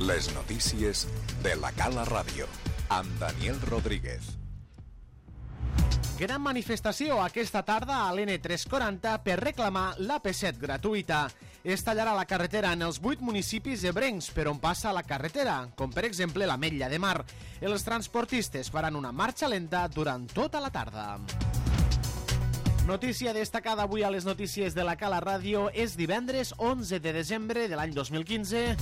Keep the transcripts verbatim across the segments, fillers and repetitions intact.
Les notícies de la Cala Ràdio, amb Daniel Rodríguez. Gran manifestació aquesta tarda a l'N tres quaranta per reclamar l'A P set gratuïta. Es tallarà la carretera en els vuit municipis ebrencs per on passa la carretera, com per exemple l'Ametlla de Mar. Els transportistes faran una marxa lenta durant tota la tarda. Notícia destacada avui a les notícies de la Cala Ràdio. És divendres onze de desembre de l'any dos mil quinze.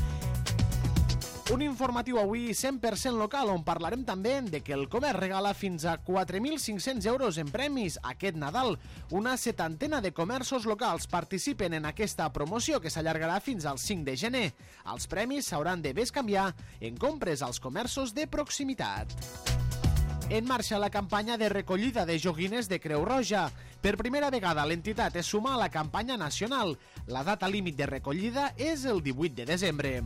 Un informatiu avui cent per cent local, on parlarem també de que el comerç regala fins a quatre mil cinc-cents euros en premis aquest Nadal. Una setantena de comerços locals participen en aquesta promoció que s'allargarà fins al cinc de gener. Els premis s'hauran de bescanviar en compres als comerços de proximitat. En marxa la campanya de recollida de joguines de Creu Roja. Per primera vegada l'entitat es suma a la campanya nacional. La data límit de recollida és el divuit de desembre.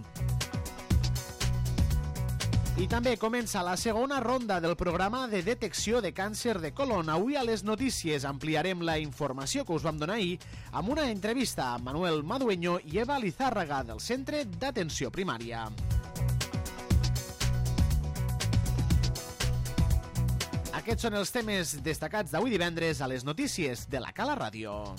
I també comença la segona ronda del programa de detecció de càncer de colon. Avui a les notícies ampliarem la informació que us vam donar ahir amb una entrevista a Manuel Madueño i Eva Lizárraga del Centre d'Atenció Primària. Aquests són els temes destacats d'avui divendres a les notícies de la Cala Ràdio.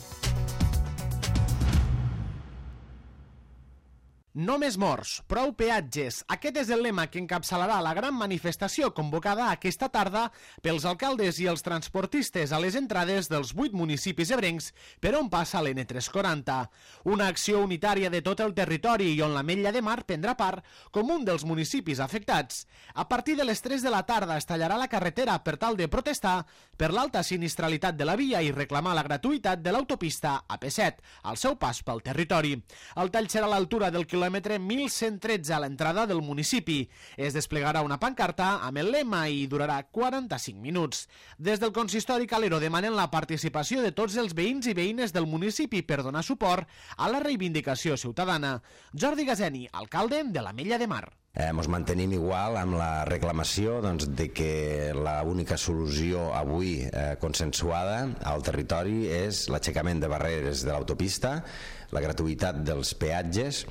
No més morts, prou peatges. Aquest és el lema que encapçalarà la gran manifestació convocada aquesta tarda pels alcaldes i els transportistes a les entrades dels vuit municipis ebrencs per on passa l'N tres quaranta. Una acció unitària de tot el territori i on l'Ametlla de Mar prendrà part com un dels municipis afectats. A partir de les tres de la tarda es tallarà la carretera per tal de protestar per l'alta sinistralitat de la via i reclamar la gratuïtat de l'autopista A P set al seu pas pel territori. El tall serà a l'altura del quilòmetre mil cent tretze a l'entrada del municipi. Es desplegarà una pancarta amb el lema i durarà quaranta-cinc minuts. Des del consistori Calero demanen la participació de tots els veïns i veïnes del municipi per donar suport a la reivindicació ciutadana. Jordi Gazeni, alcalde de l'Ametlla de Mar. Eh, ens mantenim igual amb la reclamació doncs, de que l'única solució avui eh, consensuada al territori és l'aixecament de barreres de l'autopista, la gratuïtat dels peatges,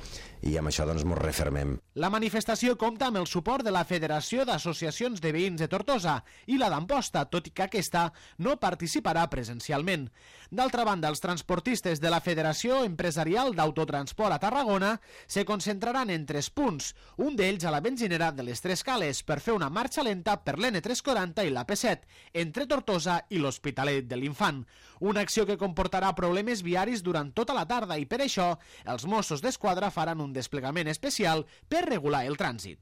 i amb això doncs ens refermem. La manifestació compta amb el suport de la Federació d'Associacions de Veïns de Tortosa i la d'Amposta, tot i que aquesta no participarà presencialment. D'altra banda, els transportistes de la Federació Empresarial d'Autotransport a Tarragona se concentraran en tres punts, un d'ells a la benzinera de les Tres Cales, per fer una marxa lenta per l'N tres quaranta i l'A P set, entre Tortosa i l'Hospitalet de l'Infant. Una acció que comportarà problemes viaris durant tota la tarda i per això els Mossos d'Esquadra faran un desplegament especial per regular el trànsit.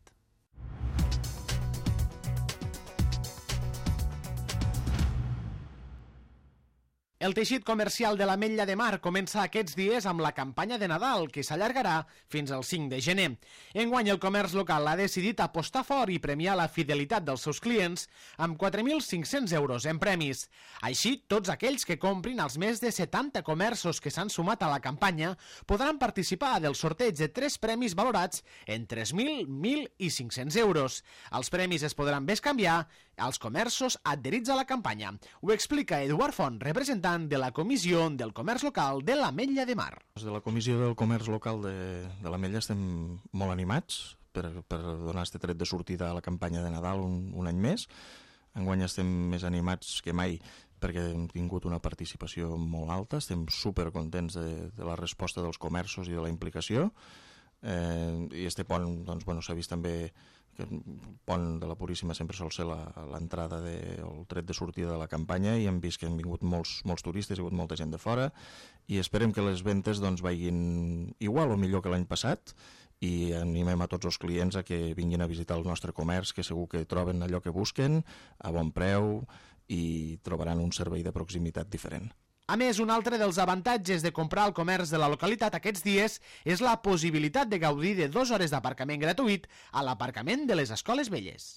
El teixit comercial de l'Ametlla de Mar comença aquests dies amb la campanya de Nadal, que s'allargarà fins al cinc de gener. Enguany el comerç local ha decidit apostar fort i premiar la fidelitat dels seus clients amb quatre mil cinc-cents euros en premis. Així, tots aquells que comprin als més de setanta comerços que s'han sumat a la campanya podran participar del sorteig de tres premis valorats en tres mil, mil i cinc-cents euros. Els premis es podran bescanviar als comerços adherits a la campanya. Ho explica Eduard Font, representant de la Comissió del Comerç Local de l'Ametlla de Mar. Des de la Comissió del Comerç Local de, de l'Ametlla estem molt animats per, per donar aquest tret de sortida a la campanya de Nadal un, un any més. Enguany estem més animats que mai perquè hem tingut una participació molt alta, estem supercontents de, de la resposta dels comerços i de la implicació. Eh, i este pont doncs, bueno, s'ha vist també que el pont de la Puríssima sempre sol ser l'entrada, el tret de sortida de la campanya, i hem vist que han vingut molts, molts turistes, hi ha hagut molta gent de fora, i esperem que les ventes doncs, vagin igual o millor que l'any passat, i animem a tots els clients a que vinguin a visitar el nostre comerç, que segur que troben allò que busquen a bon preu i trobaran un servei de proximitat diferent. A més, un altre dels avantatges de comprar al comerç de la localitat aquests dies és la possibilitat de gaudir de dues hores d'aparcament gratuït a l'aparcament de les Escoles Velles.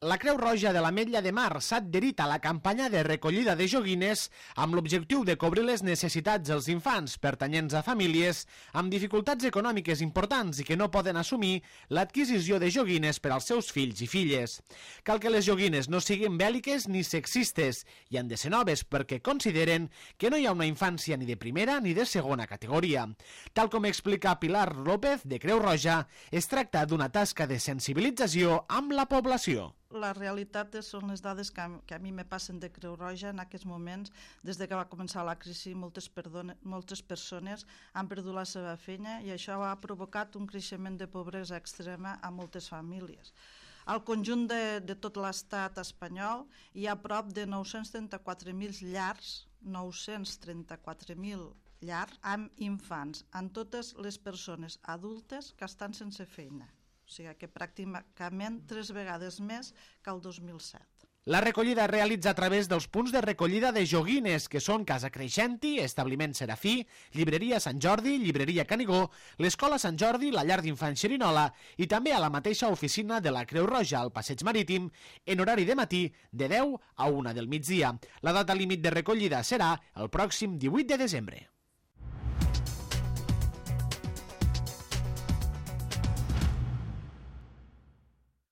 La Creu Roja de l'Ametlla de Mar s'ha adherit a la campanya de recollida de joguines amb l'objectiu de cobrir les necessitats dels infants pertanyents a famílies amb dificultats econòmiques importants i que no poden assumir l'adquisició de joguines per als seus fills i filles. Cal que les joguines no siguin bèl·liques ni sexistes i han de ser noves perquè consideren que no hi ha una infància ni de primera ni de segona categoria. Tal com explica Pilar López, de Creu Roja, es tracta d'una tasca de sensibilització amb la població. La realitat són les dades que a, que a mi me passen de Creu Roja en aquests moments. Des de que va començar la crisi, moltes, perdone, moltes persones han perdut la seva feina i això ha provocat un creixement de pobresa extrema a moltes famílies. Al conjunt de, de tot l'estat espanyol hi ha prop de nou-cents trenta-quatre mil llars, nou-cents trenta-quatre mil llars amb infants, amb totes les persones adultes que estan sense feina. O sigui que pràcticament tres vegades més que el dos mil set. La recollida es realitza a través dels punts de recollida de joguines, que són Casa Creixenti, Establiment Serafí, Llibreria Sant Jordi, Llibreria Canigó, l'Escola Sant Jordi, la Llar d'Infants Xerinola i també a la mateixa oficina de la Creu Roja al Passeig Marítim en horari de matí de deu a una del migdia. La data límit de recollida serà el pròxim divuit de desembre.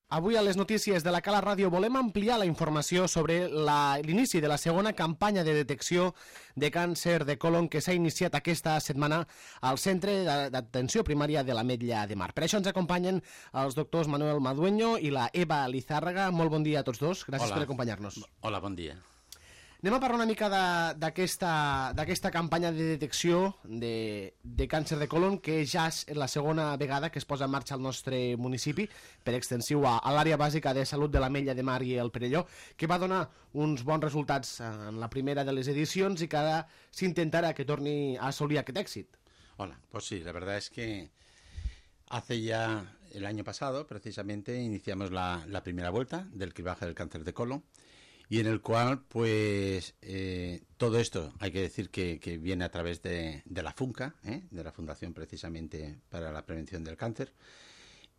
Avui a les notícies de la Cala Ràdio volem ampliar la informació sobre l'inici de la segona campanya de detecció de càncer de colon que s'ha iniciat aquesta setmana al Centre d'Atenció Primària de l'Ametlla de Mar. Per això ens acompanyen els doctors Manuel Madueño i la Eva Lizárraga. Molt bon dia a tots dos. Gràcies Hola. per acompanyar-nos. Hola, bon dia. Anem a parlar una mica d'aquesta campanya de detecció de, de càncer de colon, que ja és la segona vegada que es posa en marxa al nostre municipi, per extensiu a, a l'àrea bàsica de salut de l'Ametlla de Mar i el Perelló, que va donar uns bons resultats en la primera de les edicions i que ara s'intentarà que torni a assolir aquest èxit. Hola, pues sí, la verdad es que hace ya el año pasado, precisamente, iniciamos la, la primera vuelta del cribaje del cáncer de colon, y en el cual, pues, eh, todo esto, hay que decir que, que viene a través de, de la FUNCA, ¿eh? de la Fundación precisamente para la Prevención del Cáncer,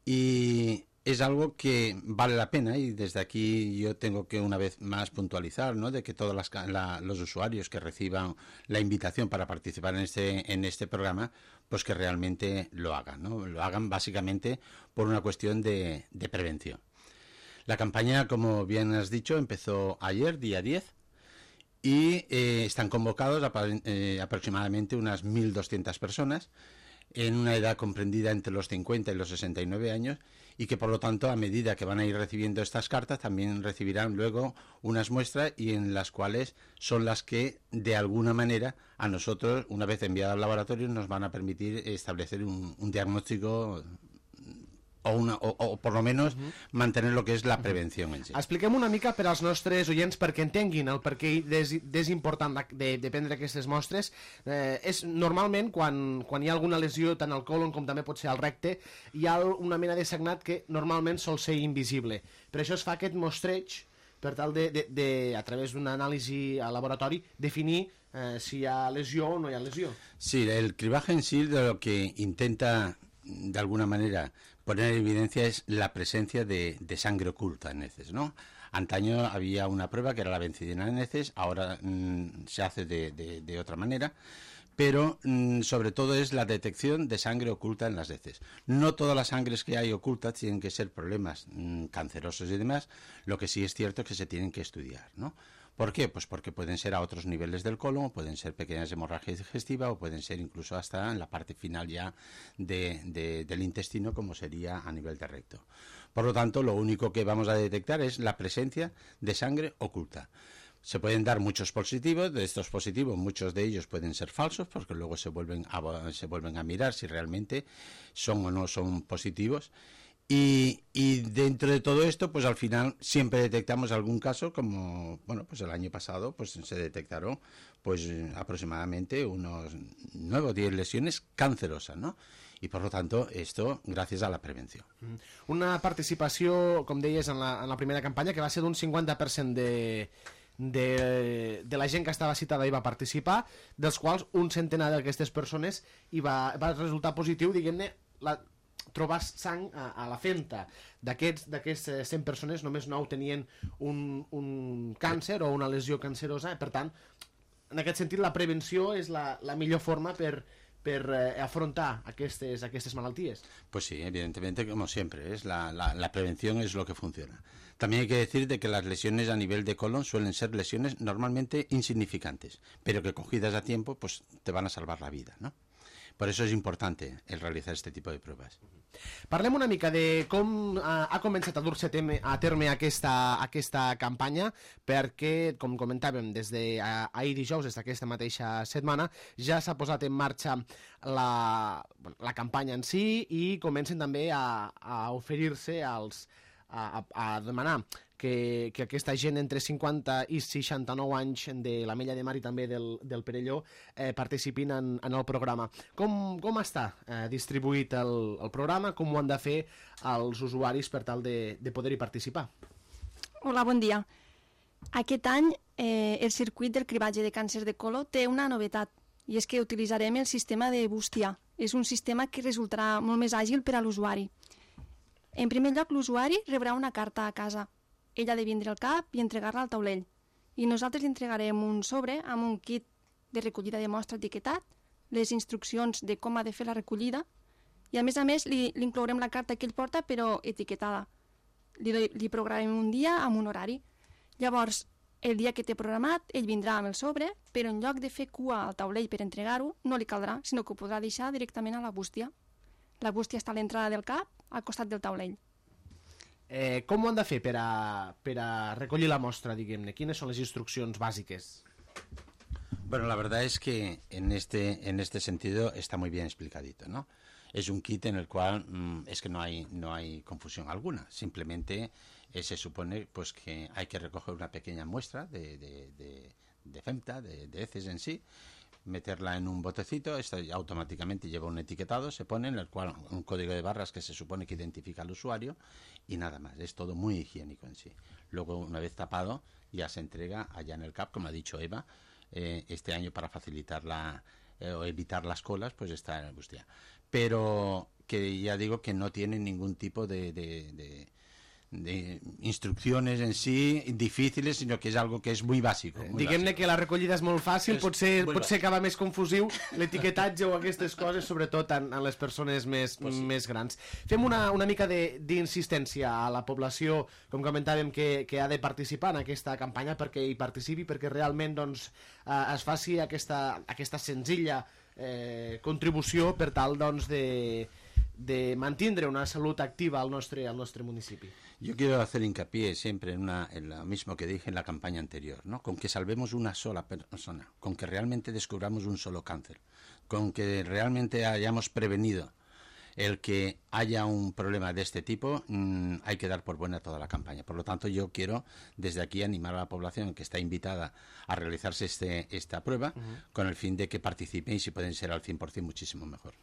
y es algo que vale la pena, y desde aquí yo tengo que una vez más puntualizar, ¿no?, de que todos las, la, los usuarios que reciban la invitación para participar en este, en este programa, pues que realmente lo hagan, ¿no? Lo hagan básicamente por una cuestión de, de prevención. La campaña, como bien has dicho, empezó ayer, día diez, y eh, están convocados a, eh, aproximadamente unas mil doscientas personas en una edad comprendida entre los cincuenta y los sesenta y nueve años, y que por lo tanto, a medida que van a ir recibiendo estas cartas, también recibirán luego unas muestras, y en las cuales son las que, de alguna manera, a nosotros, una vez enviadas al laboratorio, nos van a permitir establecer un, un diagnóstico o, una, o, o por lo menos uh-huh. mantener lo que és la prevenció en si. Expliquem una mica per als nostres oients perquè entenguin el perquè és, és important de, de prendre aquestes mostres. Eh, és normalment quan, quan hi ha alguna lesió tant al colon com també pot ser al recte, hi ha una mena de sagnat que normalment sol ser invisible. Per això es fa aquest mostreig per tal de, de, de a través d'una anàlisi al laboratori, definir eh, si hi ha lesió o no hi ha lesió. Sí, el cribaje en sí de lo que intenta de alguna manera poner en evidencia es la presencia de, de sangre oculta en heces, ¿no? Antaño había una prueba que era la bencidina en heces, ahora mmm, se hace de, de, de otra manera, pero mmm, sobre todo es la detección de sangre oculta en las heces. No todas las sangres que hay ocultas tienen que ser problemas mmm, cancerosos y demás, lo que sí es cierto es que se tienen que estudiar, ¿no? ¿Por qué? Pues porque pueden ser a otros niveles del colon, pueden ser pequeñas hemorragias digestivas o pueden ser incluso hasta en la parte final ya de, de, del intestino, como sería a nivel de recto. Por lo tanto, lo único que vamos a detectar es la presencia de sangre oculta. Se pueden dar muchos positivos, de estos positivos muchos de ellos pueden ser falsos porque luego se vuelven a, se vuelven a mirar si realmente son o no son positivos. Y, y dentro de todo esto, pues al final siempre detectamos algún caso, como, bueno, pues el año pasado pues se detectaron pues aproximadamente unos nueve o diez lesiones cancerosas, ¿no? I, per tant, esto gràcies a la prevenció. Una participació, com deies, en la, en la primera campanya, que va ser d'un cinquanta per cent de, de, de la gent que estava citada i va participar, dels quals un centenar d'aquestes persones i va, va resultar positiu, diguem-ne, la... trobar sang a, a la fenta. D'aquests cent persones, només nou tenien un, un càncer o una lesió cancerosa. Per tant, en aquest sentit, la prevenció és la, la millor forma per, per eh, afrontar aquestes, aquestes malalties. Pues sí, evidentemente, como siempre, es la, la, la prevención es lo que funciona. También hay que decir de que las lesiones a nivel de colon suelen ser lesiones normalmente insignificantes, pero que cogidas a tiempo pues te van a salvar la vida, ¿no? Per això és important el realitzar aquest tipus de proves. Parlem una mica de com ha començat a dur-se a terme aquesta, aquesta campanya, perquè, com comentàvem, des d'ahir dijous, des d'aquesta mateixa setmana, ja s'ha posat en marxa la, la campanya en si i comencen també a, a oferir-se als A, a demanar que, que aquesta gent entre cinquanta i seixanta-nou anys de l'Ametlla de Mar i també del, del Perelló eh, participin en, en el programa. Com, com està eh, distribuït el, el programa? Com ho han de fer els usuaris per tal de, de poder-hi participar? Hola, bon dia. Aquest any eh, el circuit del cribatge de càncer de colon té una novetat i és que utilitzarem el sistema de Bustia. És un sistema que resultarà molt més àgil per a l'usuari. En primer lloc, l'usuari rebrà una carta a casa. Ell ha de vindre al C A P i entregar-la al taulell. I nosaltres li entregarem un sobre amb un kit de recollida de mostra etiquetat, les instruccions de com ha de fer la recollida, i a més a més li, li inclourem la carta que ell porta però etiquetada. Li, li programem un dia amb un horari. Llavors, el dia que té programat, ell vindrà amb el sobre, però en lloc de fer cua al taulell per entregar-ho, no li caldrà, sinó que ho podrà deixar directament a la bústia. La bústia està a l'entrada del C A P, al costat del taulell. Eh, com ho han de fer per a, per a recollir la mostra, diguem-ne? Quines són les instruccions bàsiques? Bueno, la verdad es que en este, en este sentido está muy bien explicadito, ¿no? Es un kit en el cual mmm, es que no hay, no hay confusión alguna. Simplemente eh, se supone pues, que hay que recoger una pequeña muestra de, de, de, de femta, de, de heces en sí, meterla en un botecito, esto automáticamente lleva un etiquetado, se pone en el cual un código de barras que se supone que identifica al usuario y nada más, es todo muy higiénico en sí. Luego, una vez tapado, ya se entrega allá en el C A P, como ha dicho Eva, eh, este año para facilitar la, eh, o evitar las colas, pues está en Bustia. Pero que ya digo que no tiene ningún tipo de... de, de de instrucciones en sí difíciles, sinó que és algo que és muy bàsic. Diguem-ne que la recollida és molt fàcil, és potser, potser acaba més confusiu l'etiquetatge o aquestes coses, sobretot en, en les persones més, pues sí. més grans. Fem una, una mica d'insistència a la població, com comentàvem, que, que ha de participar en aquesta campanya perquè hi participi, perquè realment doncs, eh, es faci aquesta, aquesta senzilla eh, contribució per tal doncs, de, de mantindre una salut activa al nostre, al nostre municipi. Yo quiero hacer hincapié siempre en, una, en lo mismo que dije en la campaña anterior, ¿no? Con que salvemos una sola persona, con que realmente descubramos un solo cáncer, con que realmente hayamos prevenido el que haya un problema de este tipo, mmm, hay que dar por buena toda la campaña. Por lo tanto, yo quiero desde aquí animar a la población que está invitada a realizarse este, esta prueba uh-huh. con el fin de que participen y si pueden ser al cien por cien muchísimo mejor.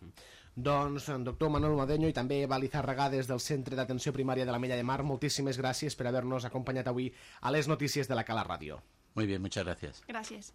Doncs, doctor Manuel Madeño i també Eva Lizarraga des del Centre d'Atenció Primària de l'Ametlla de Mar, moltíssimes gràcies per haver-nos acompanyat avui a les notícies de la Cala Ràdio. Muy bien, muchas gracias. Gràcies.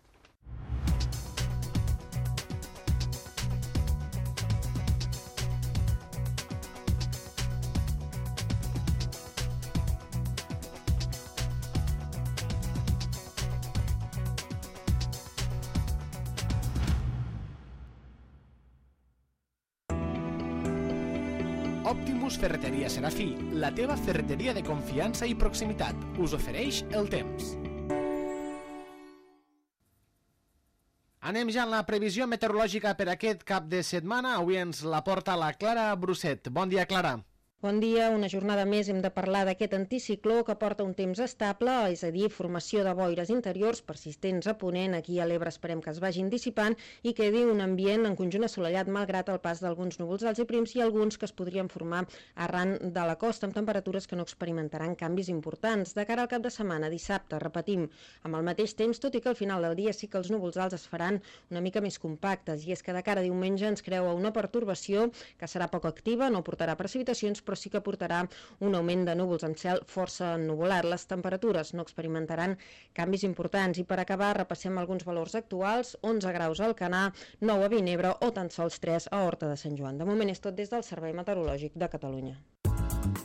Optimus Ferreteria Serafí, la teva ferreteria de confiança i proximitat, us ofereix el temps. Anem ja en la previsió meteorològica per aquest cap de setmana. Avui ens la porta la Clara Brusset. Bon dia, Clara. Bon dia, una jornada més hem de parlar d'aquest anticicló que porta un temps estable, és a dir, formació de boires interiors persistents a ponent, aquí a l'Ebre esperem que es vagin dissipant i quedi un ambient en conjunt assolellat malgrat el pas d'alguns núvols alts i prims i alguns que es podrien formar arran de la costa amb temperatures que no experimentaran canvis importants. De cara al cap de setmana, dissabte, repetim, amb el mateix temps, tot i que al final del dia sí que els núvols alts es faran una mica més compactes i és que de cara a diumenge ens creua una pertorbació que serà poc activa, no portarà precipitacions, però sí que portarà un augment de núvols amb cel força ennuvolat. Les temperatures no experimentaran canvis importants i per acabar repassem alguns valors actuals: onze graus a Alcanar, nou a Vinebre o tan sols tres a Horta de Sant Joan. De moment és tot des del Servei Meteorològic de Catalunya.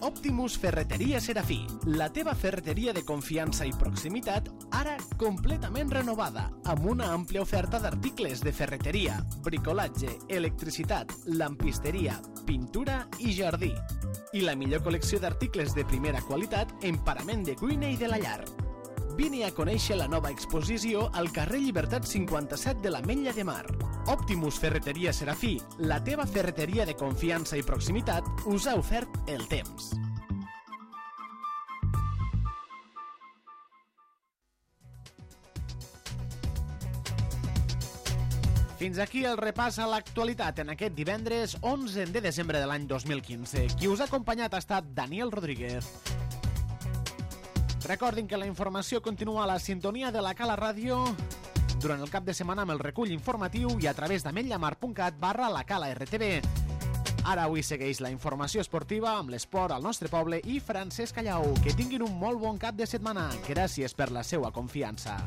Optimus Ferreteria Serafí, la teva ferreteria de confiança i proximitat, ara completament renovada, amb una àmplia oferta d'articles de ferreteria, bricolatge, electricitat, lampisteria, pintura i jardí. I la millor col·lecció d'articles de primera qualitat en parament de cuina i de la llar. Vine a conèixer la nova exposició al carrer Llibertat cinquanta-set de l'Ametlla de Mar. Optimus Ferreteria Serafí, la teva ferreteria de confiança i proximitat, us ha ofert el temps. Fins aquí el repàs a l'actualitat en aquest divendres onze de desembre de l'any dos mil quinze. Qui us ha acompanyat ha estat Daniel Rodríguez. Recordin que la informació continua a la sintonia de la Cala Ràdio durant el cap de setmana amb el recull informatiu i a través d'ametllamar punt cat barra la Cala R T V. Ara avui segueix la informació esportiva amb l'esport al nostre poble i Francesc Callau. Que tinguin un molt bon cap de setmana. Gràcies per la seva confiança.